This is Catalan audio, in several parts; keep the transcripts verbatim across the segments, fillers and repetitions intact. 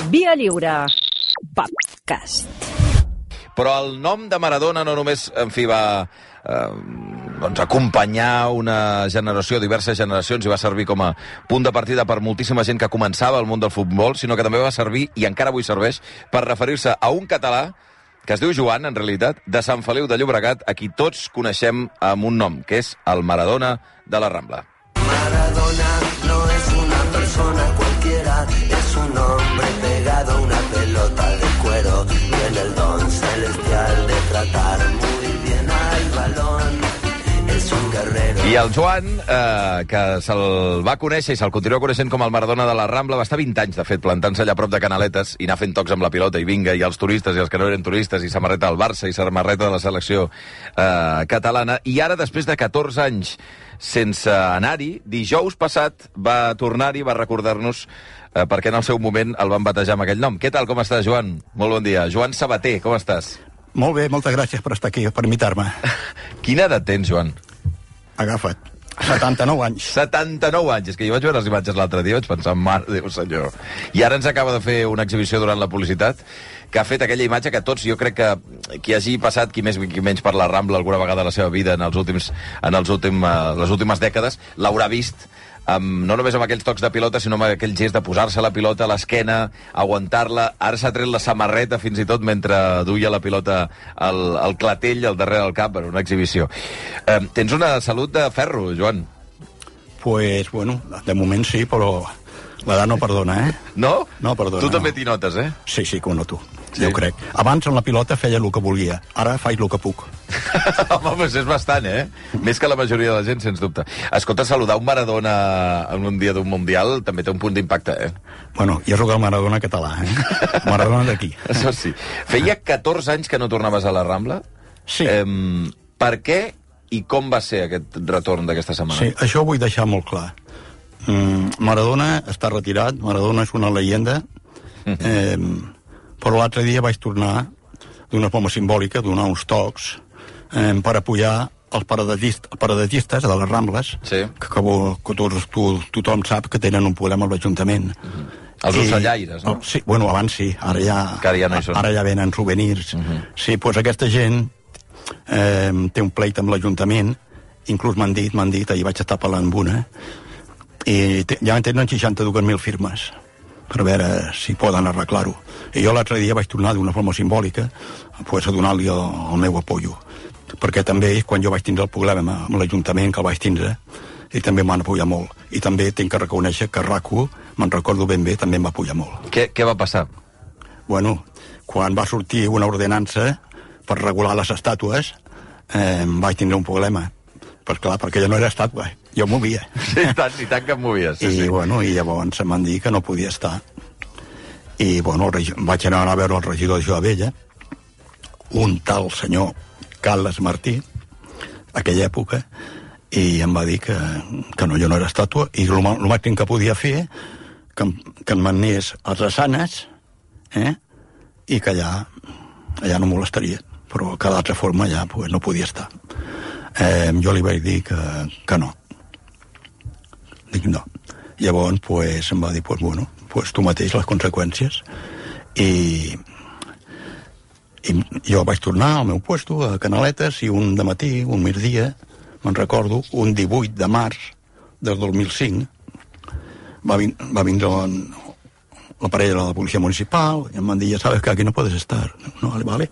Via Lliure Podcast. Però el nom de Maradona no només, en fi, va eh, doncs acompanyar una generació, diverses generacions, i va servir com a punt de partida per moltíssima gent que començava al món del futbol, sinó que també va servir, i encara avui serveix, per referir-se a un català que es diu Joan, en realitat, de Sant Feliu de Llobregat, a qui tots coneixem amb un nom, que és el Maradona de la Rambla. Maradona no es una persona cualquiera, es un hombre pegado a una pelota de cuero, tiene el don celestial de tratar muy bien al balón. I el Joan, eh, que se'l va conèixer i se'l continua coneixent com el Maradona de la Rambla, va estar vint anys, de fet, plantant-se allà a prop de Canaletes i anar fent tocs amb la pilota, i vinga, i els turistes i els que no eren turistes, i samarreta del Barça i samarreta de la selecció eh, catalana. I ara, després de catorze anys sense anar-hi, dijous passat va tornar-hi, va recordar-nos eh, perquè en el seu moment el van batejar amb aquell nom. Què tal, com estàs, Joan? Molt bon dia. Joan Sabater, com estàs? Molt bé, moltes gràcies per estar aquí, per invitar-me. Quina edat tens, Joan? Agafa't. setanta-nou anys. setanta-nou anys. És que jo vaig veure les imatges l'altre dia i vaig pensar, mare Déu senyor. I ara ens acaba de fer una exhibició durant la publicitat que ha fet aquella imatge que tots, jo crec que qui hagi passat, qui més qui menys per la Rambla alguna vegada a la seva vida en els últims, en els últim, les últimes dècades, l'haurà vist, amb, no només amb aquells tocs de pilota, sinó amb aquell gest de posar-se la pilota a l'esquena, aguantar-la. Ara s'ha tret la samarreta fins i tot mentre duia la pilota al, al clatell, al darrere del cap, en una exhibició. Eh, tens una salut de ferro, Joan. Pues, bueno, de moment sí, però l'edat no perdona, eh? No? No perdona. Tu també no. t'hi notes, eh? Sí, sí, que ho noto. Sí. Jo crec. Abans amb la pilota feia el que volia, ara faig el que puc. Home, doncs és bastant, eh? Més que la majoria de la gent, sens dubte. Escolta, saludar un Maradona en un dia d'un Mundial també té un punt d'impacte, eh? Bueno, jo sóc el Maradona català, eh? Maradona d'aquí. Això sí. Feia catorze anys que no tornaves a la Rambla? Sí. Eh, per què i com va ser aquest retorn d'aquesta setmana? Sí, això ho vull deixar molt clar. Mm, Maradona està retirat, Maradona és una leyenda, eh, però l'altre dia vaig tornar d'una forma simbòlica, donar uns tocs eh, per apoyar els paradistes, els paradistes de les Rambles, sí. que, que, que tots, tu, tothom sap que tenen un problema amb l'Ajuntament. Uh-huh. Els ocellaires, no? Sí, bueno, abans sí, ara ja, ja, no ara ja venen souvenirs. Uh-huh. Sí, doncs aquesta gent eh, té un pleit amb l'Ajuntament, inclús m'han dit, m'han dit, ahir vaig estar parlant amb una, i te, ja tenen seixanta-dues mil firmes per veure si poden arreglar-ho. I jo l'altre dia vaig tornar d'una forma simbòlica pues, a donar-li el, el meu apoyo, perquè també quan jo vaig tindre el problema amb l'Ajuntament, que el vaig tindre, i també m'han apoyat molt. I també tinc que reconèixer que RAC1, me'n recordo ben bé, també em va apoyar molt. Què, què va passar? Bueno, quan va sortir una ordenança per regular les estàtues, eh, vaig tindre un problema. Però clar, perquè jo no era estàtua, jo movia. Sí, tant, i tant que em movies. Sí, I, sí. bueno, i llavors em van dir que no podia estar. I, bueno, regi... vaig anar a veure el regidor de Joabella, un tal senyor Carles Martí, aquella època, i em va dir que, que no, jo no era estàtua, i el, el màxim que podia fer que, que em manés a Drassanes, eh? I que allà, allà no molestaria, però que d'altra forma ja pues, no podia estar. Eh, jo li vaig dir que, que no. Dic no. Llavors, pues, em va dir, pues, bueno, pues, tu mateix les conseqüències. I, i jo vaig tornar al meu puesto, a Canaletes, i un dematí, un migdia, me'n recordo, un divuit de març del dos mil cinc, va, vin va vindre la, la parella de la policia municipal, i em van dir, ja sabes que aquí no puedes estar. No, vale, vale.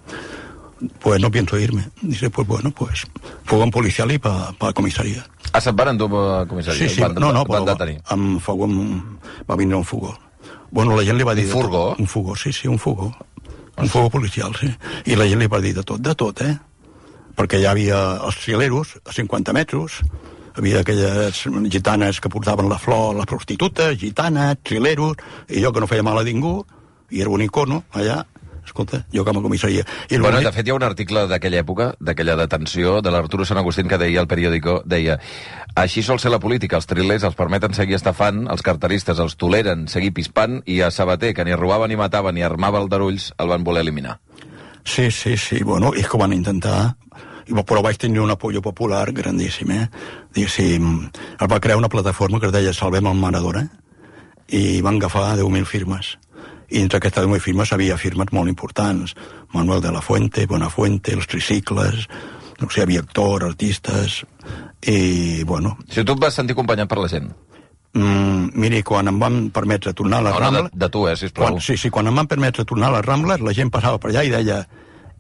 Pues no pienso irme. Dice, pues bueno, pues fogón policial i pa, pa comissaria. Ah, se'n van endur a comissaria? Sí, sí, van, no, no, van però detenir. amb fogó, amb, va vindre un fogó. Bueno, la gent li va dir... Un furgó? Un fogó, sí, sí, un fogó. Un fogó policial, sí. I la gent li va dir de tot, de tot, eh? Perquè hi havia els trileros a cinquanta metres, havia aquelles gitanes que portaven la flor, les prostitutes, gitanes, trileros, i jo que no feia mal a ningú, i era un icono allà, escolta, jo com a comissaria. I bueno, de fet, hi ha un article d'aquella època, d'aquella detenció, de l'Arturo Sant Agustín, que deia al periòdico, deia, així sol ser la política, els trilers els permeten seguir estafant, els carteristes els toleren seguir pispant, i a Sabater, que ni robava ni matava ni armava aldarulls, el van voler eliminar. Sí, sí, sí, bueno, és que ho van intentar, però vaig tenir un apoyo popular grandíssim, eh? Diguéssim, es va crear una plataforma que es deia Salvem el Maradona, i van agafar deu mil firmes. I entre aquestes deu firmes havia firmes molt importants. Manuel de la Fuente, Bonafuente, els tricicles, no sé, havia actors, artistes, i, bueno... Si tu et vas sentir acompanyat per la gent. Mm, miri, quan em van permetre tornar a les no, Rambles... No, de, de tu, eh, sisplau. Quan, sí, sí, quan em van permetre tornar a les Rambles, la gent passava per allà i deia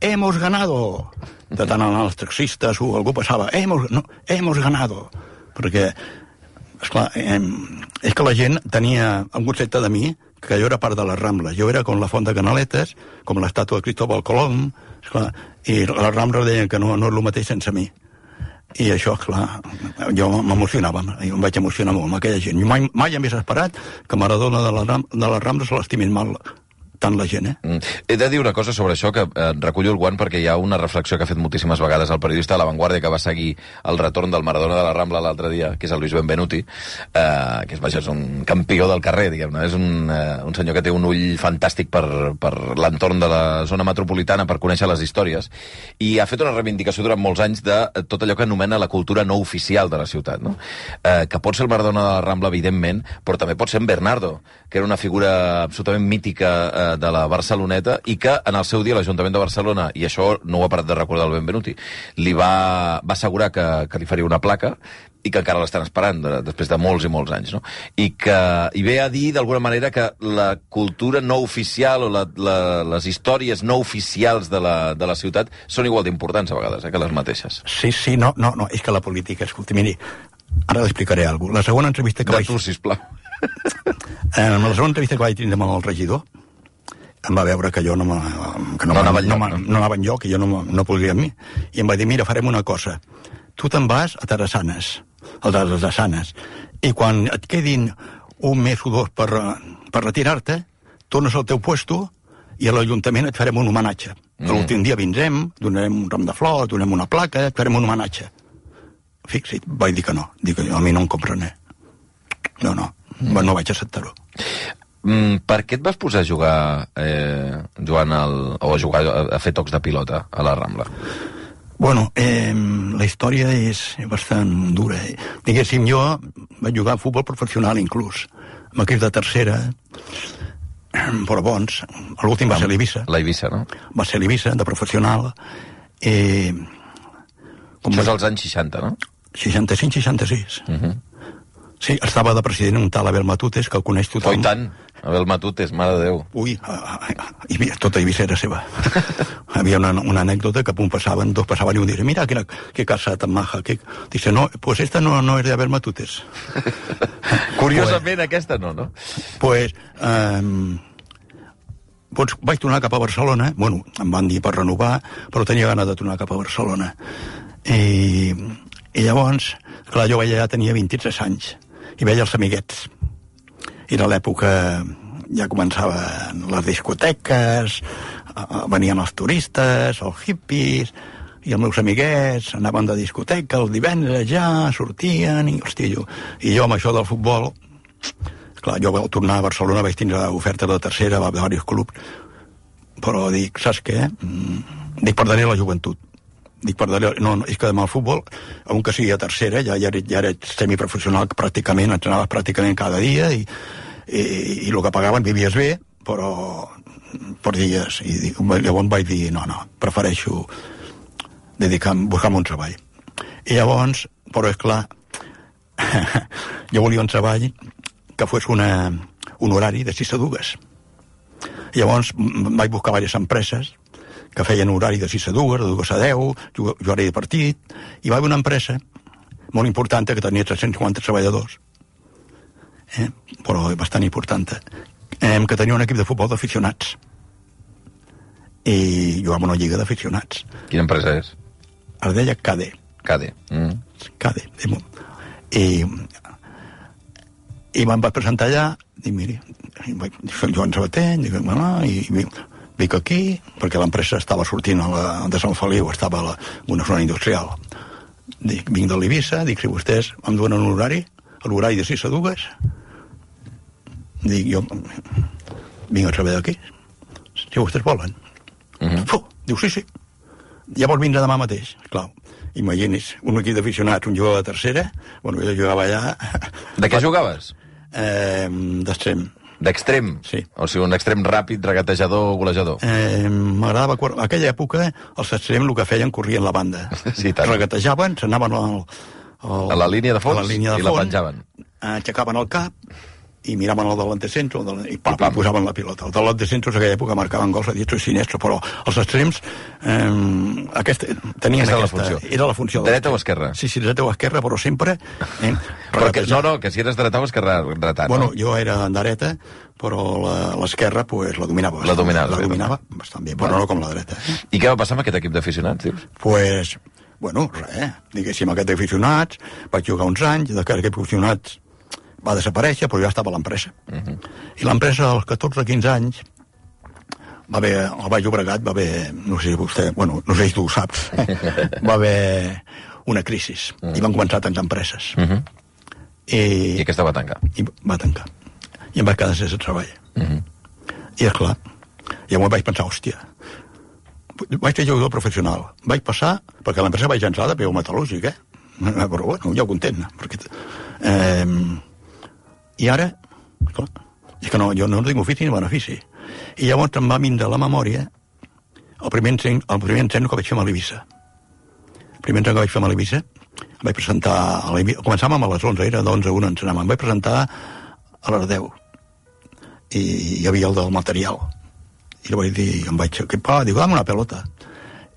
«Hemos ganado!» De tant anar als taxistes o algú passava «Hemos, no, hemos ganado!» Perquè, esclar, eh, és que la gent tenia un concepte de mi que jo era part de les Rambles. Jo era com la Font de Canaletes, com l'estàtua de Cristóbal Colom, esclar, i les Rambles deien que no, no és el mateix sense mi. I això, clar, jo m'emocionava, jo em vaig emocionar molt amb aquella gent. Jo mai, mai hagués esperat que Maradona de, la, de les Rambles se l'estimin mal tant la gent, eh? Mm. He de dir una cosa sobre això, que eh, recullo el guant perquè hi ha una reflexió que ha fet moltíssimes vegades el periodista de La Vanguardia que va seguir el retorn del Maradona de la Rambla l'altre dia, que és el Luis Benvenuti, eh, que és, vaja, és un campió del carrer, diguem-ne. És un, eh, un senyor que té un ull fantàstic per, per l'entorn de la zona metropolitana, per conèixer les històries. I ha fet una reivindicació durant molts anys de tot allò que anomena la cultura no oficial de la ciutat, no? Eh, que pot ser el Maradona de la Rambla, evidentment, però també pot ser en Bernardo, que era una figura absolutament mítica eh, de la Barceloneta i que en el seu dia l'Ajuntament de Barcelona, i això no ho ha parat de recordar el Benvenuti, li va, va assegurar que, que li faria una placa i que encara l'estan esperant de, després de molts i molts anys, no? I que i ve a dir d'alguna manera que la cultura no oficial o la, la, les històries no oficials de la, de la ciutat són igual d'importants a vegades, eh, que les mateixes. Sí, sí, no, no, no, és que la política, escolti, miri, ara l'explicaré alguna cosa. La segona entrevista que de vaig... tu, sisplau. En la segona entrevista que vaig tindre amb el regidor, em va veure que jo no, que no, no, anava, no, enlloc, no, no anava enlloc, que jo no, no podria amb mi. I em va dir, mira, farem una cosa. Tu te'n vas a Terrassanes, a les Terrassanes, i quan et quedin un mes o dos per, per retirar-te, tornes al teu puesto i a l'Ajuntament et farem un homenatge. Mm. L'últim dia vindrem, donarem un ram de flors, donem una placa, et farem un homenatge. Fixa't, vaig dir que no. Dic, a mi no em compren, eh? No, no, mm. no vaig acceptar-ho. Mm, per què et vas posar a jugar, eh, Joan, el, o a jugar a, a fer tocs de pilota a la Rambla? Bueno, eh, la història és bastant dura. Diguéssim, jo vaig jugar a futbol professional inclús, amb equips de tercera, però bons. L'últim va ser l'Eivissa. La Eivissa, no? Va ser l'Eivissa, de professional. Eh, com Això és als anys seixanta, no? seixanta-cinc seixanta-sis. Uh -huh. Sí, estava de president un tal Abel Matutes, que el coneix tothom. Oh, i tant, Abel Matutes, mare de Déu. Ui, a, a, a, tota Eivissa era seva. Havia una, una anècdota que un passaven, dos passaven i un diria, mira, quina, qué casa tan maja. Que... Dice, no, pues esta no, no es de Abel Matutes. Curiosament, pues, aquesta no, no? Pues, um, pues vaig tornar cap a Barcelona, bueno, em van dir per renovar, però tenia ganes de tornar cap a Barcelona. I, i llavors, clar, jo ja tenia vint-i-tres anys, i veia els amiguets. Era l'època, ja començaven les discoteques, venien els turistes, els hippies, i els meus amiguets anaven de discoteca els divendres ja, sortien, i hòstia, jo, i jo amb això del futbol, clar, jo vaig tornar a Barcelona, vaig tindre ofertes de tercera, va haver diversos clubs, però dic, saps què? Dic, perdré la joventut. Dic, perdré, no, no, és que demà el futbol, on que sigui a tercera, ja, ja, ja era semiprofessional pràcticament, entrenaves pràcticament cada dia, i, i, i el que pagaven vivies bé, però per dies, i dic, llavors vaig dir, no, no, prefereixo dedicar-me, buscar-me un treball. I llavors, però és clar, jo volia un treball que fos una, un horari de sis a dues. Llavors vaig buscar diverses empreses que feien horari de sis a dues, de dues a deu, horari de partit, i va haver una empresa molt important que tenia tres-cents cinquanta treballadors, eh? però bastant important, eh? que tenia un equip de futbol d'aficionats. I jugava una lliga d'aficionats. Quina empresa és? Es deia C A D E. C A D E. Mm. C A D E. I, i me'n vaig presentar allà, dic, miri, soc Joan Sabater, dic, bueno, i, i vinc aquí, perquè l'empresa estava sortint a la, de Sant Feliu, estava a la, una zona industrial. Dic, vinc de l'Eivissa, dic, si vostès em donen un horari, l'horari de sis a dues, dic, jo vinc a treballar aquí, si vostès volen. Uh-huh. Fuh, diu, sí, sí. Llavors vindrà demà mateix, clar. Imagini's, un equip d'aficionats, un jugador de tercera, bueno, jo jugava allà... De què jugaves? Eh, d'extrem. D'extrem? Sí. O sigui, un extrem ràpid, regatejador, golejador. Eh, M'agradava... En aquella època, els extrems el que feien corrien la banda. Sí, tant. Regatejaven, s'anaven al, al, a la línia de fons, a la línia de i la fons, penjaven. Aixecaven el cap i miraven el delant de centre i, pam, I posaven la pilota. El delant de centre en aquella època marcaven gols a diestro i sinestro, però els extrems eh, aquesta, tenien aquesta, aquesta... La funció. Era la funció. Dreta o esquerra? Sí, sí, dreta o esquerra, però sempre... Eh, però que, no, no, que si eres dreta o esquerra, dreta, bueno, no? jo era dreta, però l'esquerra pues, la dominava. La dominava. La dominava bastant bé, però no com la dreta. Eh? I què va passar amb aquest equip d'aficionats, dius? Pues, bueno, res, diguéssim, aquest d'aficionats, vaig jugar uns anys, d'aquest equip d'aficionats va desaparèixer, però ja estava a l'empresa. Uh -huh. I l'empresa, als catorze quinze anys, va haver, al Baix Llobregat va haver, no sé si vostè, bueno, no sé si tu ho saps, va haver una crisi, uh -huh. i van començar a tancar empreses. Uh -huh. I, I aquesta va tancar. I va tancar. I em vaig quedar sense treball. Uh -huh. I, esclar, llavors vaig pensar, hòstia, vaig ser jugador professional. Vaig passar, perquè l'empresa vaig entrar de peu metal·lúrgic, eh? Però bueno, ja ho content, perquè... Eh, I ara, clar, és que no, jo no tinc ofici ni benefici. I llavors em va vindre a la memòria el primer encén, el primer encén que vaig fer a l'Eivissa. El primer encén que vaig fer a l'Eivissa, em vaig presentar a l'Eivissa, començàvem a les onze, era d'onze a una, ens anàvem, em vaig presentar a les deu. I hi havia el del material. I li vaig dir, em vaig equipar, dic, dame una pelota.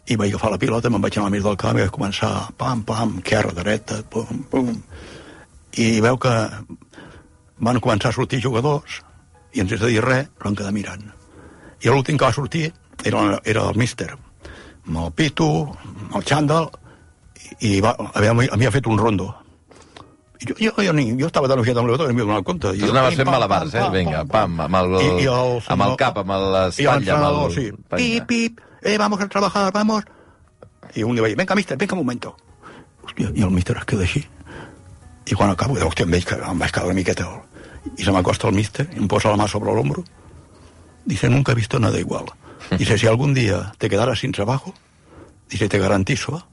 I vaig agafar la pilota, me'n vaig anar al mig del camp i vaig començar, pam, pam, esquerra, dreta, pum, pum. I veu que van començar a sortir jugadors i ens has de dir res, però em quedar mirant. I l'últim que va sortir era, era el míster, amb el pito, amb el xandall, i va, havia fet un rondo. I jo, jo, jo, jo estava tan ofiat amb l'Europa que no m'hi donava compte. Tu anaves fent malabars, eh? Vinga, pam, amb el, I, i el, amb el cap, amb l'espatlla, amb el... Sí. Pip, pip, eh, vamos a trabajar, vamos. I un li va dir, venga, mister, venga un momento. Hòstia, i el míster es queda així. I quan acabo, hòstia, em, veig, em vaig quedar una miqueta... Y se me acosta el míster y me posa la mano sobre el hombro. Dice, nunca he visto nada igual. Dice, si algún día te quedaras sin trabajo, dice, te garantizo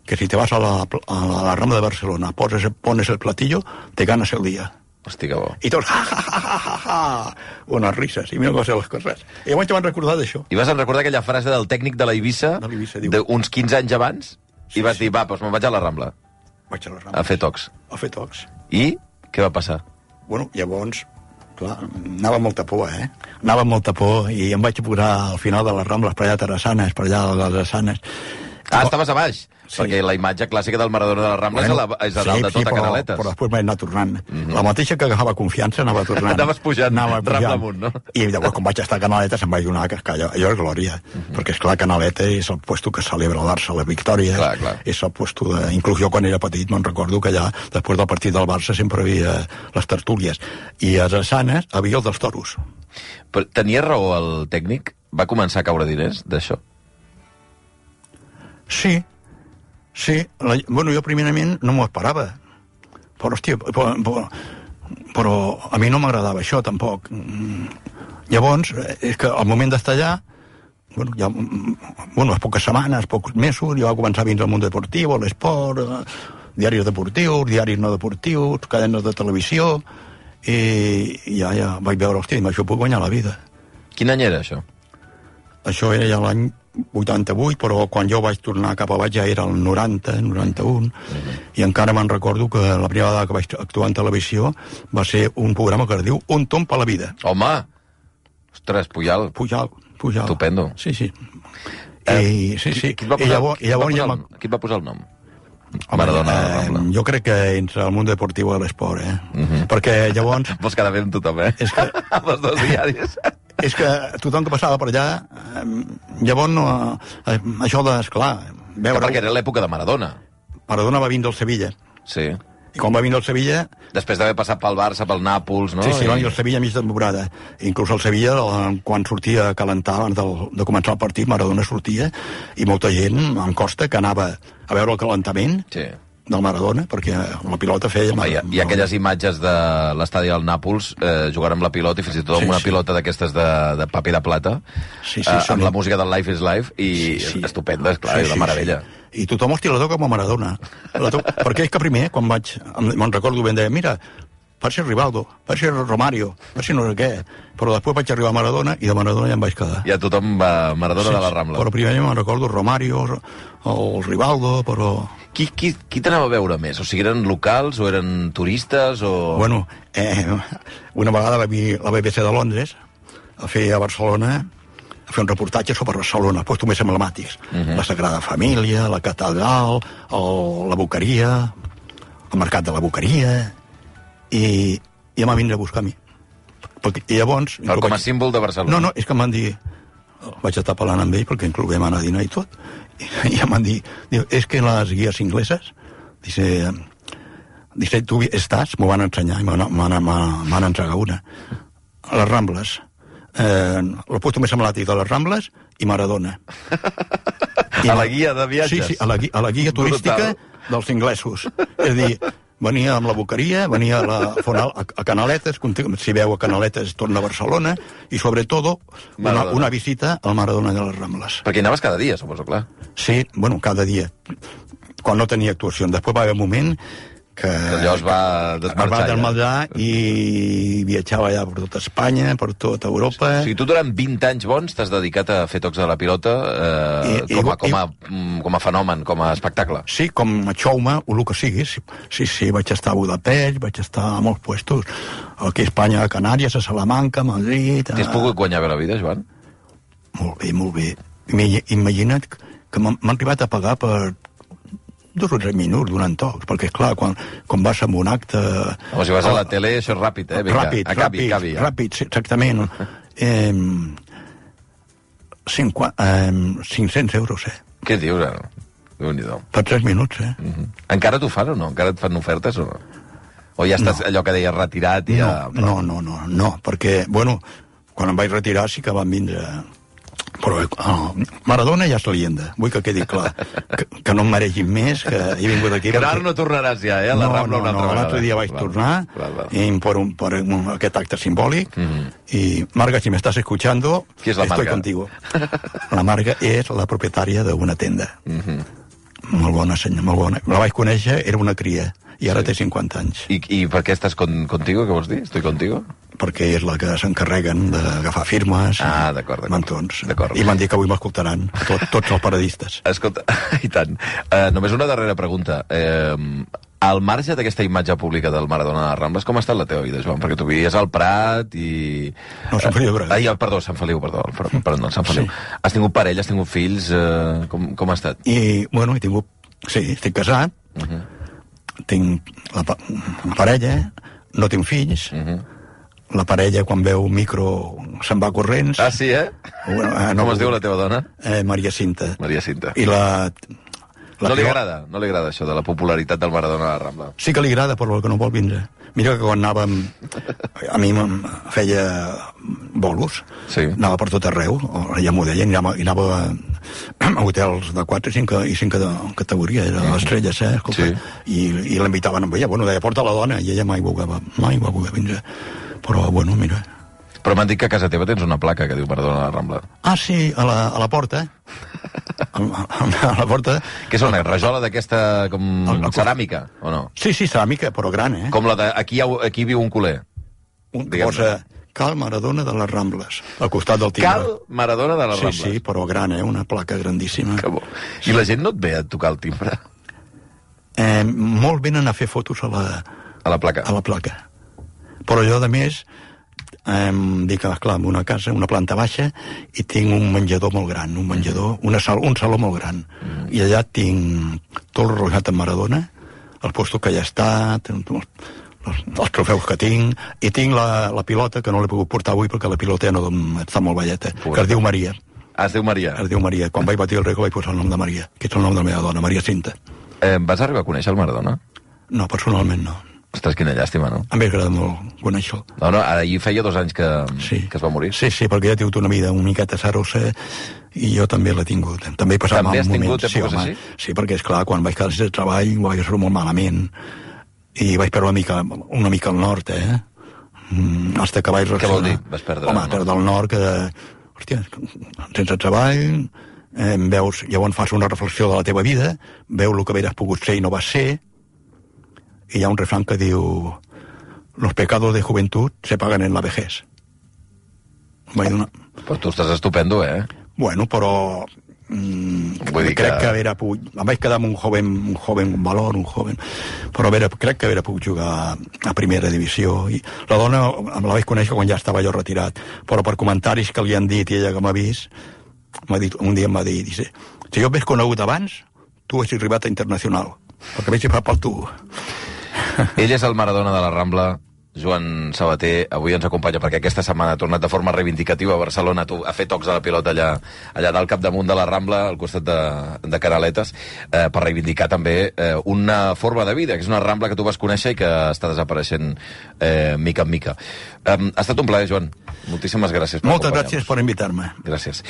que si te vas a la, a la, a la Rambla de Barcelona, pones, pones el platillo, te ganas el día. Hosti, que bo. I tots, ja, ja, ja, ja, ja, ja. Unes risses, i mira com ser les coses. I llavors te van recordar d'això. I vas recordar aquella frase del tècnic de la Eivissa, d'uns quinze anys abans, sí, i vas sí. dir, va, doncs me'n vaig a la Rambla. Vaig a la Rambla. A fer tocs. A fer tocs. I què va passar? Bueno, llavors, clar, anava amb molta por, eh? Anava amb molta por i em vaig posar al final de les Rambles per allà a Terrassanes, per allà a les Terrassanes. Ah, estaves a baix? Sí. Perquè la imatge clàssica del Maradona de la Rambla bueno, és a, la, és a dalt sí, de tot sí, a Canaletes. Però després vaig anar tornant. Mm -hmm. La mateixa que agafava confiança anava tornant. Anaves pujant, anava pujant. Rambla amunt, no? I llavors, quan vaig estar a Canaletes, em vaig donar que allò, allò és glòria. Mm -hmm. Perquè, esclar, Canaletes és el puesto que celebra el Barça, la victòria. Clar, clar. És el puesto de... Inclús jo, quan era petit, me'n recordo que allà, després del partit del Barça, sempre hi havia les tertúlies. I a Drassanes hi havia el dels toros. Però tenia raó el tècnic? Va començar a caure diners d'això? Sí. Sí, la, bueno, jo primerament no m'ho esperava. Però, hòstia, però, però, però a mi no m'agradava això, tampoc. Llavors, és que al moment d'estar allà, bueno, ja, bueno, a poques setmanes, pocs mesos, jo va començar a vindre al món deportiu, l'esport, diaris deportius, diaris no deportius, cadenes de televisió, i ja, ja vaig veure, hòstia, amb això puc guanyar la vida. Quin any era això? Això era ja l'any vuitanta-vuit, però quan jo vaig tornar cap a baix ja era el noranta, noranta-un, uh-huh. I encara me'n recordo que la primera vegada que vaig actuar en televisió va ser un programa que es diu Un tomb a la vida. Home! Ostres, Pujal. Pujal, Pujal. Estupendo. Sí, sí. Eh, I, sí, sí. Qui, qui, et va posar, I llavors, qui, et va ja posar, el, qui et va posar el nom? Home, Maradona, eh, jo crec que entre el món deportiu i l'esport, eh? Uh-huh. Perquè llavors... Vols quedar bé amb tothom, eh? És que... amb els dos diaris. És que tothom que passava per allà, eh, llavors no... Eh, això de, esclar... Veure... Que perquè era l'època de Maradona. Maradona va vindre al Sevilla. Sí. I quan va vindre al Sevilla... Després d'haver passat pel Barça, pel Nàpols, no? Sí, sí, I... va vindre al Sevilla a mig de temporada. Inclús al Sevilla, quan sortia a calentar abans del, de començar el partit, Maradona sortia, i molta gent, en costa, que anava a veure el calentament... Sí. Del Maradona, perquè la pilota feia... Home, hi, ha, hi ha aquelles imatges de l'estadi del Nàpols eh, jugant amb la pilota, i fins i tot amb sí, una sí. pilota d'aquestes de, de paper de plata, sí, sí, eh, amb la música del Life is Life, i sí, sí. estupenda, esclar, sí, sí, és una meravella. Sí. I tothom, hòstia, la toca com a Maradona. La to... perquè és que primer, quan vaig... Me'n recordo ben, deia, mira, per ser Rivaldo, per ser Romario, per ser no sé què. Però després vaig arribar a Maradona i de Maradona ja em vaig quedar. Ja tothom va Maradona sí, de la Rambla. Però primer me'n recordo Romario, el Rivaldo, però... Qui, qui, qui t'anava a veure més? O sigui, eren locals o eren turistes o... Bueno, eh, una vegada va vir la B B C de Londres a fer a Barcelona, a fer un reportatge sobre Barcelona, doncs més emblemàtics. Uh-huh. La Sagrada Família, la Catedral, el, la Boqueria, el Mercat de la Boqueria, i, i em va vindre a buscar a mi. Perquè, i llavors... Però com a vaig... símbol de Barcelona. No, no, és que em van dir... Vaig estar parlant amb ell perquè inclou vam anar a dinar i tot. I em van dir, diu, és que les guies ingleses, dice, dice tu estàs, m'ho van ensenyar, i m'han entregat una. A les Rambles, eh, el puesto més emblemàtic de les Rambles i Maradona. I a la guia de viatges? Sí, sí, a la, a la guia turística dels inglesos. És a dir, venia amb la Boqueria, venia a, la, a, a Canaletes, si veu a Canaletes torna a Barcelona, i sobretot una, una visita al Maradona de les Rambles. Perquè hi anaves cada dia, suposo, clar. Sí, bueno, cada dia, quan no tenia actuació. Després va haver un moment que... Que allò es va desmarxar. Es va desmarxar ja. I viatjava ja per tota Espanya, per tota Europa. O sigui, tu durant vint anys bons t'has dedicat a fer tocs de la pilota eh, I, com, a, com, a, com a fenomen, com a espectacle. Sí, com a xoume, o el que sigui. Sí, sí, sí, vaig estar a Budapest, vaig estar a molts puestos. Aquí a Espanya, a Canàries, a Salamanca, a Madrid... A... T'has pogut guanyar bé la vida, Joan? Molt bé, molt bé. Imagina't que m'han arribat a pagar per dos o tres minuts donant tocs, perquè, esclar, quan, quan vas a un acte... Home, si vas a la tele, això és ràpid, eh? Vinga, ràpid, acabi, ràpid, acabi, ja. ràpid, sí, exactament. eh, cinquanta, eh, cinc-cents euros, eh? Què dius, ara? Déu-n'hi-do. Per tres minuts, eh? Uh-huh. Encara t'ho fan o no? Encara et fan ofertes o no? O ja estàs, no. allò que deies, retirat i no, ja... No, no, no, no, perquè, bueno, quan em vaig retirar sí que van vindre... Però oh, Maradona ja és leyenda, vull que quedi clar, que, que no em mereixin més, que he vingut aquí... Que ara no tornaràs ja, eh, a la no, Rambla no, una altra no, vegada. L'altre dia vaig val, tornar val, val. I per, un, per un, aquest acte simbòlic, mm-hmm. i Marga, si me estás escuchando, ¿Qui és la estoy Marga? contigo. La Marga és la propietària d'una tenda. Mm-hmm. Molt bona senyora, molt bona. La vaig conèixer, era una cria, i ara sí. té cinquanta anys. I, i per què estàs con, contigo, què vols dir? Estoy contigo? Perquè és la que s'encarreguen d'agafar firmes ah, d'acord, i mantons. I m'han dit que avui m'escoltaran, tot, tots els paradistes. Escolta, i tant. Uh, només una darrera pregunta. Uh, al marge d'aquesta imatge pública del Maradona de les Rambles, com ha estat la teva vida, Joan? Perquè tu vivies al Prat i... No, Sant Feliu de Llobregat. Ai, perdó, Sant Feliu, perdó, perdó, Sant Feliu. Sí. Has tingut parella, has tingut fills, uh, com, com ha estat? I, bueno, he tingut... Sí, estic casat, uh-huh. tinc la, la parella, no tinc fills, uh-huh. la parella, quan veu un micro, se'n va corrents. Ah, sí, eh? Bueno, eh no, com es diu la teva dona? Eh, Maria Cinta. Maria Cinta. I la... la no li agrada, no li agrada això de la popularitat del Maradona a la Rambla. Sí que li agrada, però que no vol vindre. Mira que quan anàvem... A mi em feia bolos. Sí. Anava per tot arreu, ja m'ho deien, i anava, i anava a hotels de quatre i cinc, i cinc de categoria, era mm. estrelles, eh? Escolta, sí. I, i l'invitaven amb ella. Bueno, deia, porta la dona, i ella mai volgueva, mai va voler vindre. Però, bueno, mira... Però m'han dit que a casa teva tens una placa que diu Maradona a la Rambla. Ah, sí, a la, a la porta. A, a, a la porta. Que és una rajola d'aquesta com el, el, ceràmica, o no? Sí, sí, ceràmica, però gran, eh? Com la de... Aquí, aquí viu un culer. Un que posa Cal Maradona de les Rambles, al costat del timbre. Cal Maradona de les sí, Rambles. Sí, sí, però gran, eh? Una placa grandíssima. Que bo. I sí. La gent no et ve a tocar el timbre? Eh, molt venen a fer fotos a la... A la placa. A la placa. Però jo, de més... Eh, dic, clar, en una casa, una planta baixa, i tinc un menjador molt gran, un menjador, una sal, un saló molt gran. Mm. I allà tinc tot el rojat amb Maradona, el posto que ja està, els, els trofeus que tinc, i tinc la, la pilota, que no l'he pogut portar avui perquè la pilota ja no està molt velleta, Pura. que es diu Maria. Ah, es diu Maria? Es diu Maria. Quan vaig batir el rècord vaig posar el nom de Maria, que és el nom de la meva dona, Maria Cinta. Eh, vas arribar a conèixer el Maradona? No, personalment no. Ostres, quina llàstima, no? A mi m'agrada molt conèixer-lo. No, no, ara hi feia dos anys que, sí. que es va morir. Sí, sí, perquè ja ha tingut una vida una miqueta sarosa i jo també l'he tingut. També he passat també mal has tingut moments. èpoques sí, home, així? Sí, perquè, esclar, quan vaig quedar sense treball ho vaig fer molt malament i vaig perdre una mica, una mica al nord, eh? Mm, hasta que vaig reaccionar. Què vol dir? Vas perdre Home, perdre el nord, que... Hòstia, sense treball, eh, veus, llavors fas una reflexió de la teva vida, veus el que havies pogut ser i no vas ser, i hi ha un refrany que diu... los pecados de juventud se pagan en la vejez. Vaig donar... Però tu estàs estupendo, eh? Bueno, però... Mm, Vull dir crec que... que haver pogut... Em vaig quedar amb un joven, un joven valor, un joven... Però haver, crec que haver pogut jugar a primera divisió. I la dona la vaig conèixer quan ja estava jo retirat, però per comentaris que li han dit i ella que m'ha vist, m'ha dit, un dia em va dir, dice, si jo m'hagués conegut abans, tu haguessis arribat a internacional, perquè vaig fer pel tu. Ell és el Maradona de la Rambla, Joan Sabater, avui ens acompanya perquè aquesta setmana ha tornat de forma reivindicativa a Barcelona a fer tocs de la pilota allà, allà dalt capdamunt de la Rambla, al costat de, de Canaletes, eh, per reivindicar també eh, una forma de vida, que és una Rambla que tu vas conèixer i que està desapareixent eh, mica en mica. Eh, ha estat un plaer, Joan. Moltíssimes gràcies per Moltes gràcies per invitar-me. Gràcies.